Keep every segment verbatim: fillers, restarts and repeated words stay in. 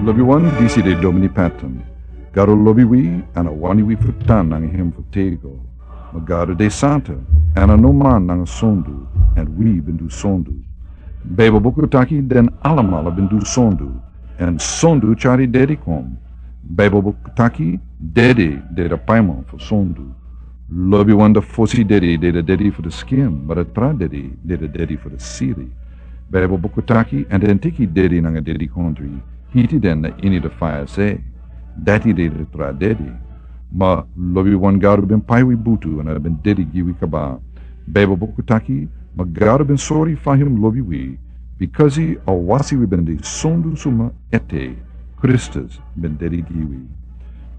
Lobiwan, disi de Domini Patton. Gado lobi wi, èn a wani wi fu tan nanga hem fu tego. Ma Gado de santa, èn a no man nanga sondu, èn wi ben du sondu. Baibel buku taki den alamala ben du sondu, èn sondu tyari dedi kon. Baibel buku taki dedi de a paiman fu sondu. Lobiwan, a fosi dedi de a dedi fu a skin, ma a tra dedi de a dedi fu a sili. Baibel buku taki, èn den teki dedi nanga dedi kondre, hiti den na ini a faya sei. Dati de a tra dedi. Ma lobiwan, Gado ben pai wi butu, èn a ben dedi gi wi kaba. Baibel buku taki, ma Gado ben sori fa hem lobi wi, bikasi a wasi wi ben de sondu suma ete, Kristus ben dedi gi wi.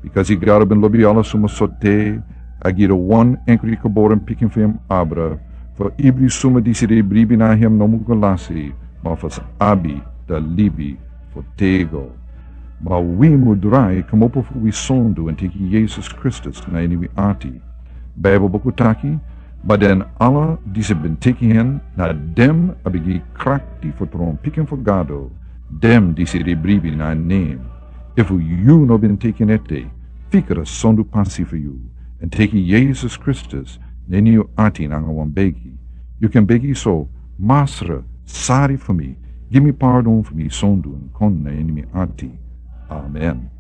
Bikasi Gado ben lobi ala suma sote, a gi a wan enkri geboren pikin fu hem abra, fu ibri suma disi e bribi na hem no mus go lasi, ma fu sa abi a libi fu tego. Ma wi mus drai kmopo fu wi sondu èn teki Yesus Kristus na ini wi ati. Baibel buku taki, ma den ala disi ben teki hem, na den a ben gi krakti fu tron pikin fu Gado, den disi e bribi na en nen. Efu yu no ben teki en ete, fika a sondu pasi fu yu, èn teki Yesus Kristus na ini yu ati nanga wan begi. Yu kan begi so: Masra, sori fu mi, gi mi pardon fu mi sondu, èn kon na ini mi ati. Amen.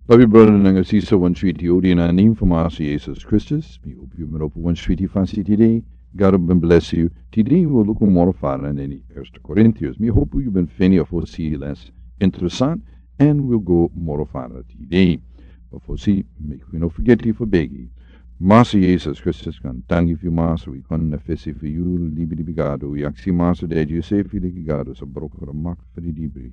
Lobi brada nanga sisa, wan switi odi na nen fu Masra Yesus Kristus. Mi hopi yu ben opo wan switi fasi tide. Gado ben blesi yu. Tide wi o luku moro fara na ini Eerste Korintiërs. Mi hopi yu ben feni a fosi les interesant, èn wi o go moro fara tide. Ma fosi, meki wi no fergeti fu begi. Masra Yesus Kristus, gaantangi fu yu Masra, wi kon na fesi fu yu, libi di Gado. Wi aksi Masra dati yu sefi leki Gado sa broko a makti fu di dibri,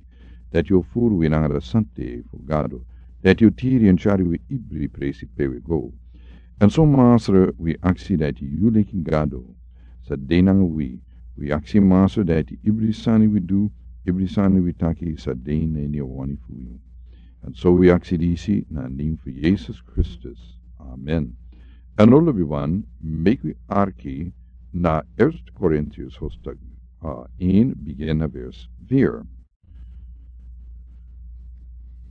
dati yu o furu wi nanga a sante fu Gado, dati yu o tiri èn tyari wi ibri presi pe wi go. Èn so Masra, wi aksi dati yu leki Gado sa de nanga wi. Wi aksi Masra dati ibri sani wi du, ibri sani wi taki sa de na ini a wani fu yu. Èn so wi aksi disi na nen fu Yesus Kristus. Amen. Èn now lobiwan, meki wi arki na Eerste Korintiërs hoofdstuk, uh, een, begin na vers vier.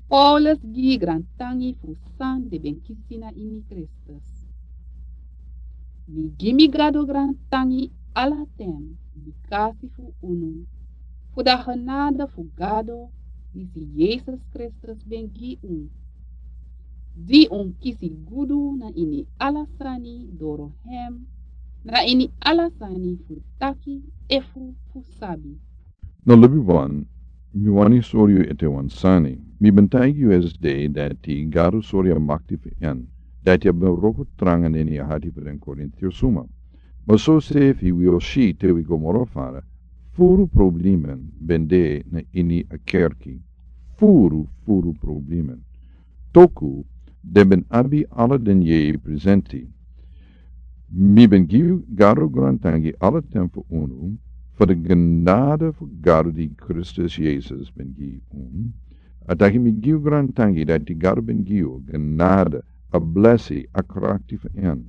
Paulus gi grantangi fu san den ben kisi na ini Kristus. Mi gi mi Gado grantangi ala ten bikasi fu unu, fu a genade fu Gado disi Yesus Kristus ben gi un, di un kisi gudu na ini ala sani doro hem, na ini ala sani fu taki efu fu sabi. Now lobiwan, mi wani sori yu ete wan sani. Mi ben taigi yu esde dati Gado sori a makti fu en, dati a ben wroko tranga na ini a hati fu den Korintiërs suma. Ma sosefi wi o si te wi go moro fara, furu problemen ben de na ini a kerki. Furu, furu problemen. Toku den ben abi ala den yeye presenti. Mi ben gi Gado grantangi ala ten fu unu, fu a genade fu Gado di Kristus Yesus ben gi un. A taki mi gi grantangi dati Gado ben gi un genade, a blesi, a krakti fu en,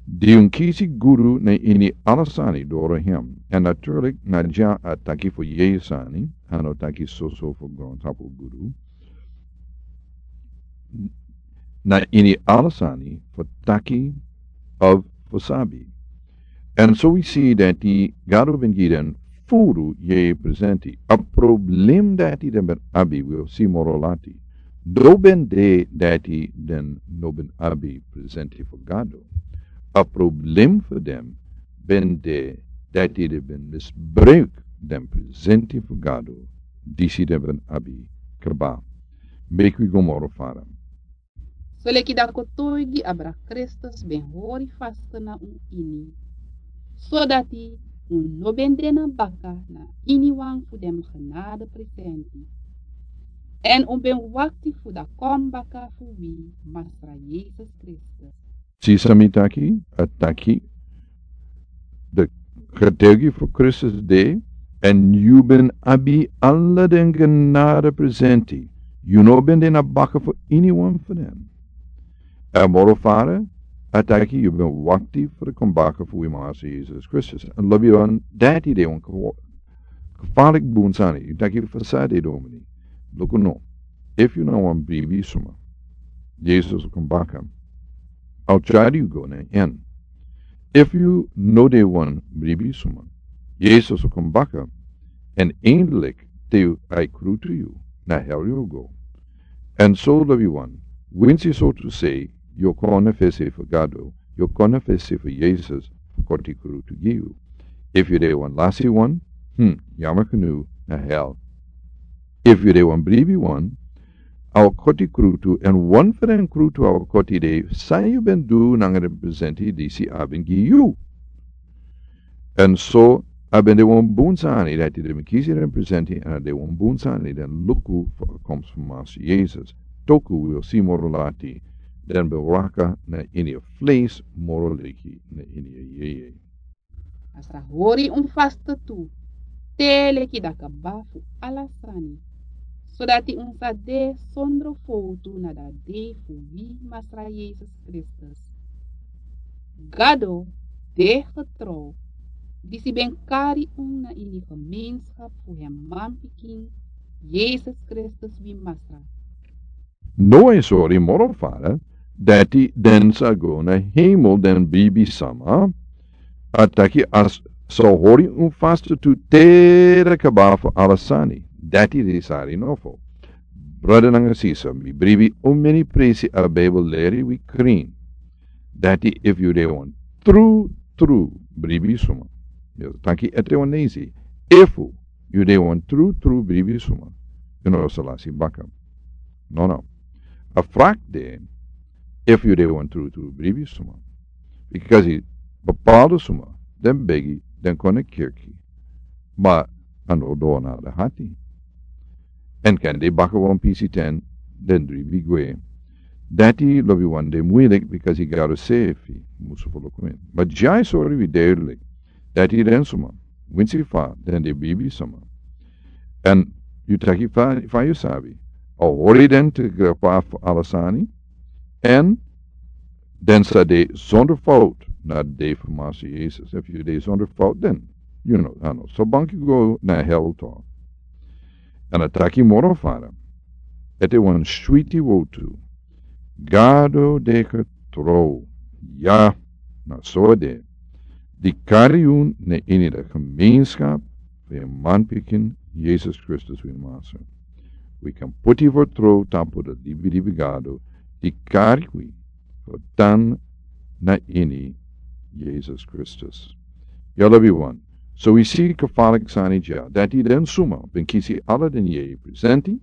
di un kisi gudu na ini ala sani doro hem. Èn natuurlijk na dya a taki fu yeye sani, a no taki soso fu grontapu gudu. Na ini ala sani fu taki of fu sabi. Èn so wi si dati Gado ben gi den furu yeye presenti. A problem dati den ben abi, wi o si moro lati, no ben de dati den no ben abi presenti fu Gado. A problem fu den ben de dati den ben misbruik den presenti fu Gado disi den ben abi kaba. Meki wi go moro fara. Soleki a kotoigi abra Kristus ben hori fast na un ini, sodati un no ben de na baka na iniwan fu den genade presenti, èn un ben wakti fu a kon baka fu wi Masra Yesus Kristus. Si san mi taki, a taki, a getuigi fu Kristus de, èn yu ben abi ala den genade presenti. Yu no ben de na baka fu iniwan fu den. Èn moro fara, a taki yu ben wakti fu a kon baka fu wi Masra Yesus Kristus. Èn lobiwan, dati de wan gevaarlijk bun sani. Yu taki: Fa san de, Domini? Luku no. Efu yu na wan bribi suma, Yesus o kon baka. A o tyari yu go na en. Efu yu no de wan bribi suma, Yesus o kon baka. Èn eindelik te yu a e krutu yu, na hel yu o go. Èn so lobi wan, winsi so tu sei, yu o kon na fesi fu Gado, yu o kon na fesi fu Yesus fu koti krutu gi yu. Efu yu de wan lasi wan, hmm, yama kunu na hel. Efu yu de wan bribi wan, a o koti krutu, èn wan fu den krutu a o koti de san yu ben du nanga den presenti disi a ben gi yu. Èn so a ben de wan bun sani dati den ben kisi den presenti, èn a de wan bun sani den luku fu a komsi fu Masa Yesus. Toku wi o si moro lati, den ben waka na ini a fleisi moro leki na ini a yeye. Masra hori un faste tu, te leki da kaba fu ala sani, sodati un sa de sondro fowtu na da dei fu wi Masra Yesus Kristus. Gado de getrouw, disi ben kari un na ini gemeenschap fu hem manpikin, Yesus Kristus wi Masra. No e sori moro fara, dati den sa go na hemel den bribi sama, a taki a sa hori un faste tu te da kaba fu ala sani, dati de sari nofo. Brada nanga sisa, mi bribi un meni presi a Bijbel leri wi krin. Dati efu yu de wan tru, tru bribi suma. Yu taki ete wan nesi. Efu yu de wan tru, tru bribi suma, yu no sa lasi baka. No, no. A frak de, efu yu de wan tru, tru bribi suma. Bikasi bepaalde suma, den begi, den kon na kirki. Ma a no doro na den hati. Èn kan de baka wan pisi ten, den dribi gwe. Dati lobi wan de muilik, bikasi Gado sefi musu fu luku en. Ma dya e sori wi duidelijk, dati den suma, winsi fa den de bribi suma. Èn yu taki fa, fa yu sabi. A hori den te grapa fu ala sani. Èn den sa de zonder fout na de dei fu Masa Yesus. Efu yu de zonder fout, den yu no, a no so banki go na hel tu. Èn a taki moro fara. Ete wan switi wowtu. Gado de getrouw. Ya, na so a de. Di kari yu na ini da gemeenschap fu en manpikin, Yesus Kristus wi Masa. Wi kan puti vertrouw tapu da libi libi Gado, di kari wi fu tan na ini Yesus Kristus. Ya lobi wan. So wi si gevaarlijk sani dya, dati den suma ben kisi ala den yeye presenti.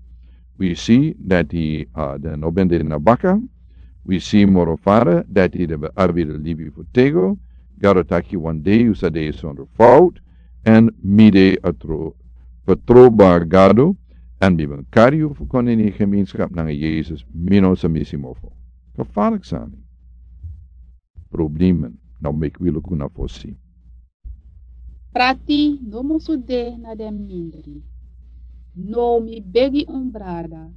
Wi si dati, ah, den no ben de na baka. Wi si moro fara dati den ben abi da libi fu tego. Gado taki wan dei yu sa de zonder fout. Èn mi de a tru, vertrouwbaar Gado. Èn mi ben kari yu fu kon ini gemeenschap nanga Yesus, mi no sa misi mofo. Gevaarlijk sani. Problemen, now meki wi luku na fosi. Prati no musu de na den mindri. No mi begi un brada,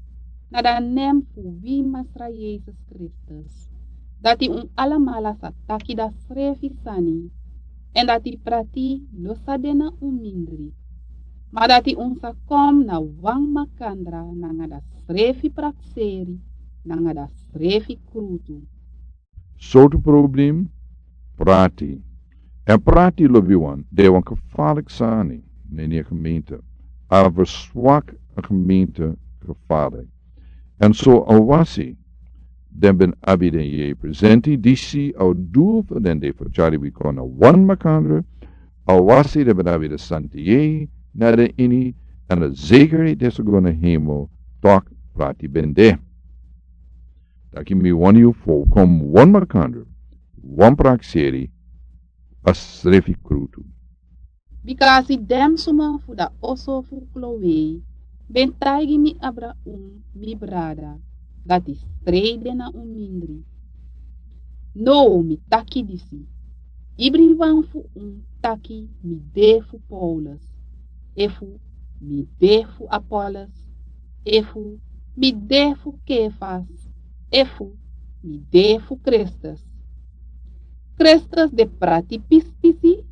na da nen fu wi Masra Yesus Kristus, dati un alamala sa taki da srefi sani, èn dati prati no sa de na un mindri. Ma dati un sa kon na wan makandra nanga da srefi prakseri, nanga da srefi krutu. Sortu problem, prati. Èn prati lobi wan, de wan gevaarlijk sani, na ini a gemeente. A verswak a gemeente gevaarlijk. Èn so a wasi, den ben abi den yeye presenti, disi a o du fu den de fu tyari wi kon na wan makandra, a wasi den ben abi den santi yeye, na den ini, èn a zekerheid den sa go na hemel, tok prati ben de. Taki mi wani yu fu kon wan makandra, wan prakseri, a srefi krutu. Bikasi den suma fu da oso fu Kloe ben taigi mi abra un, mi brada, dati strei de na un mindri. No, mi taki disi. Ibriwan fu un taki mi de fu Paulus, efu mi de fu Apollos, efu mi de fu Kefas, efu mi de fu Kristus. Kristus de prati pispisi,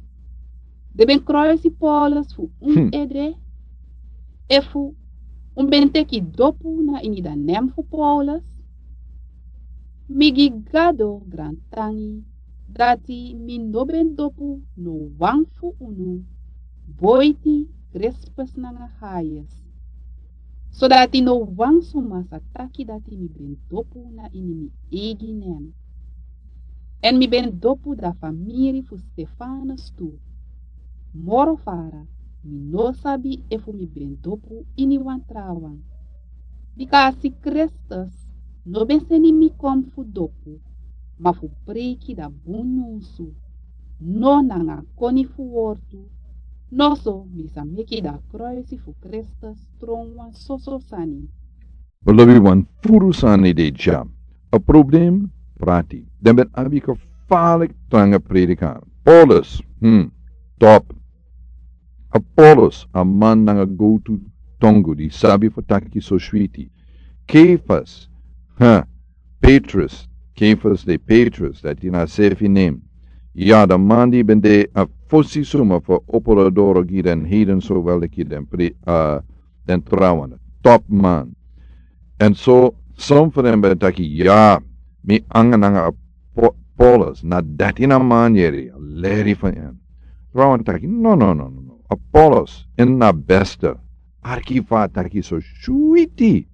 den ben kruisi Paulus fu un Hmm. ede, efu Un ben teki dopu na ini dan nen fu Paulus? Mi gi Gado grantangi dati mi no ben dopu no wan fu unu boiti Krispus nanga Gaius, sodati no wan suma sa taki dati mi ben dopu na ini mi eigi nen. Èn mi ben dopu dan famiri fu Stefanus tu. Moro fara, mi no sabi efu mi ben dopu ini wan trawan. Bika a si Kristus no ben seni mi kon fu dopu, ma fu preiki dan bun nyunsu, no nanga koni fu wortu, noso mi sa meki dan kruisi fu Kristus tron wan soso sani. Lobi wan furu sani de dya. A problem, prati. Den ben abi gevaarlijk tranga prediker. Paulus, hmm, top. Apollos, a man nanga gowtu tongu di sabi fu taki so switi. Kefas, ha, Petrus, Kefas de Petrus, dati na a sefi nen. Ya, dan man di ben de a fosi suma fu opo a doro gi den heiden so wel ki den pri, a, den trawan. Top man. Èn so, son fu den ben taki, ya, mi anga nanga a Po-, Paulus, na dati na man yere, a leri fu en. Trawan taki, no, no, no, no, no. Apollos, en na beste. Arki fa taki so switi.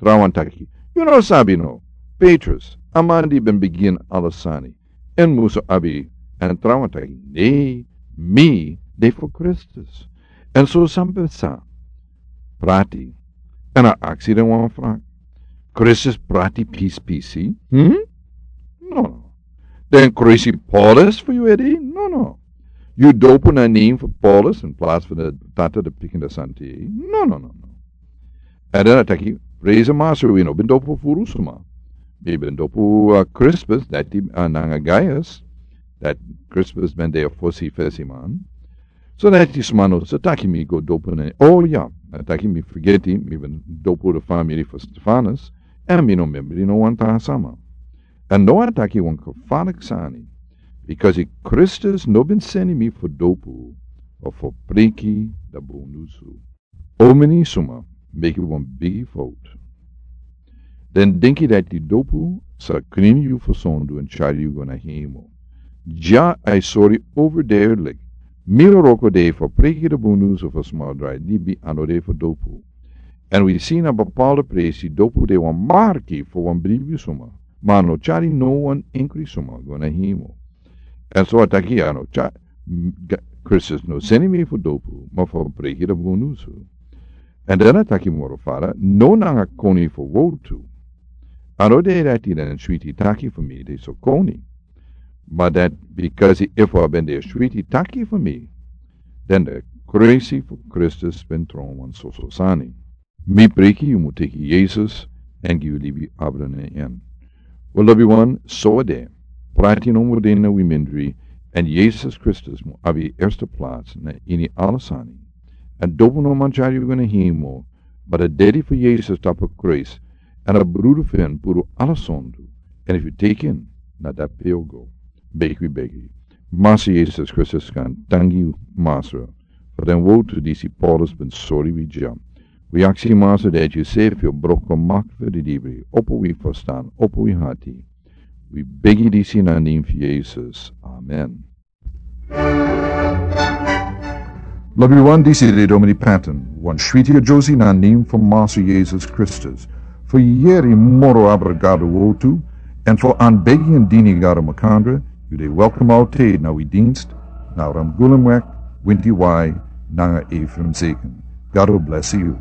Trawan taki, yu no sabi no. Petrus, a man di ben bigin ala sani. En musu abi, èn trawan taki, nee, mi, de fu Kristus. Èn so san ben sa, prati. Èn a aksi den wan frak. Kristus prati pisi pisi? Hmm? No, no. Den kruisi Paulus fu yu edi? No, no. Yu dopu na nen fu Paulus in plaats fu de tata de pikin de santi? No, no, no, no. Èn dan a taki, prezi Master, wi no ben dopu furu suma. Mi ben dopu, uh, Crispus, dati, uh, nanga Gaius, dati Crispus ben de a fosi fesi man. So dati suma no sa taki mi go dopu na, oh ya, a taki mi fergeti, mi ben dopu de famiri fu Stefanus, èn mi no membri no wan tra sama. Èn now a taki wan gevaarlijk sani, because Kristus no ben seni mi fu dopu, of fu priki dan bun nyunsu. Omeni suma meki wan bigi fout. Den denki dati dopu sa krin yu fu sondu èn tyari yu go na hemel. Dya a e sori overduidelijk. Mi no wroko de fu priki dan bun nyunsu fu sma drai libi, a no de fu dopu. Èn wi si na bepaalde presi dopu de wan marki fu wan bribi suma, ma a no tyari no wan enkri suma go na hemel. Èn so a taki a no tya-, m-, ga-, Kristus no seni mi fu dopu, ma fu priki dan bun nyunsu. Èn dan a taki moro fara, no nanga koni fu wortu. A no de dati den switi taki fu mi de so koni. Ma dati because efu a ben de switi taki fu mi, dan de kruisi fu Kristus ben tron wan soso sani. Mi priki yu mu teki Yesus èn gi yu libi abra na en. Wel, lobi wan, so a de. Prati no mu de na wi mindri, èn Yesus Kristus mu abi eerste plaats na ini ala sani. Èn dopu no man tyari yu go na hemel, ma a dedi fu Yesus tapu kruis, èn a brudu fu en puru ala sondu, èn efu yu teki en, na dape yu o go. Begi wi begi. Master Yesus Kristus kan dangi yu, Master, fu den wortu disi Paulus ben sori wi dya. Wi aksi Master dati yu sefi o broko mak fu di dibri, opo wi ferstan, opo wi hati. Wi begi disi na nen fu Yesus. Amen. Lobi wan, disi de Domini Patton, wan switi a Josie na nen fu Master Yesus Kristus. Fu yeri moro abra Gado wortu, èn fu anbegi èn dini Gado makandra, yu de welkom altijd na wi dienst, na Ramgulemweg, winti wai, nanga Ephraim Zeken. Gado bless yu.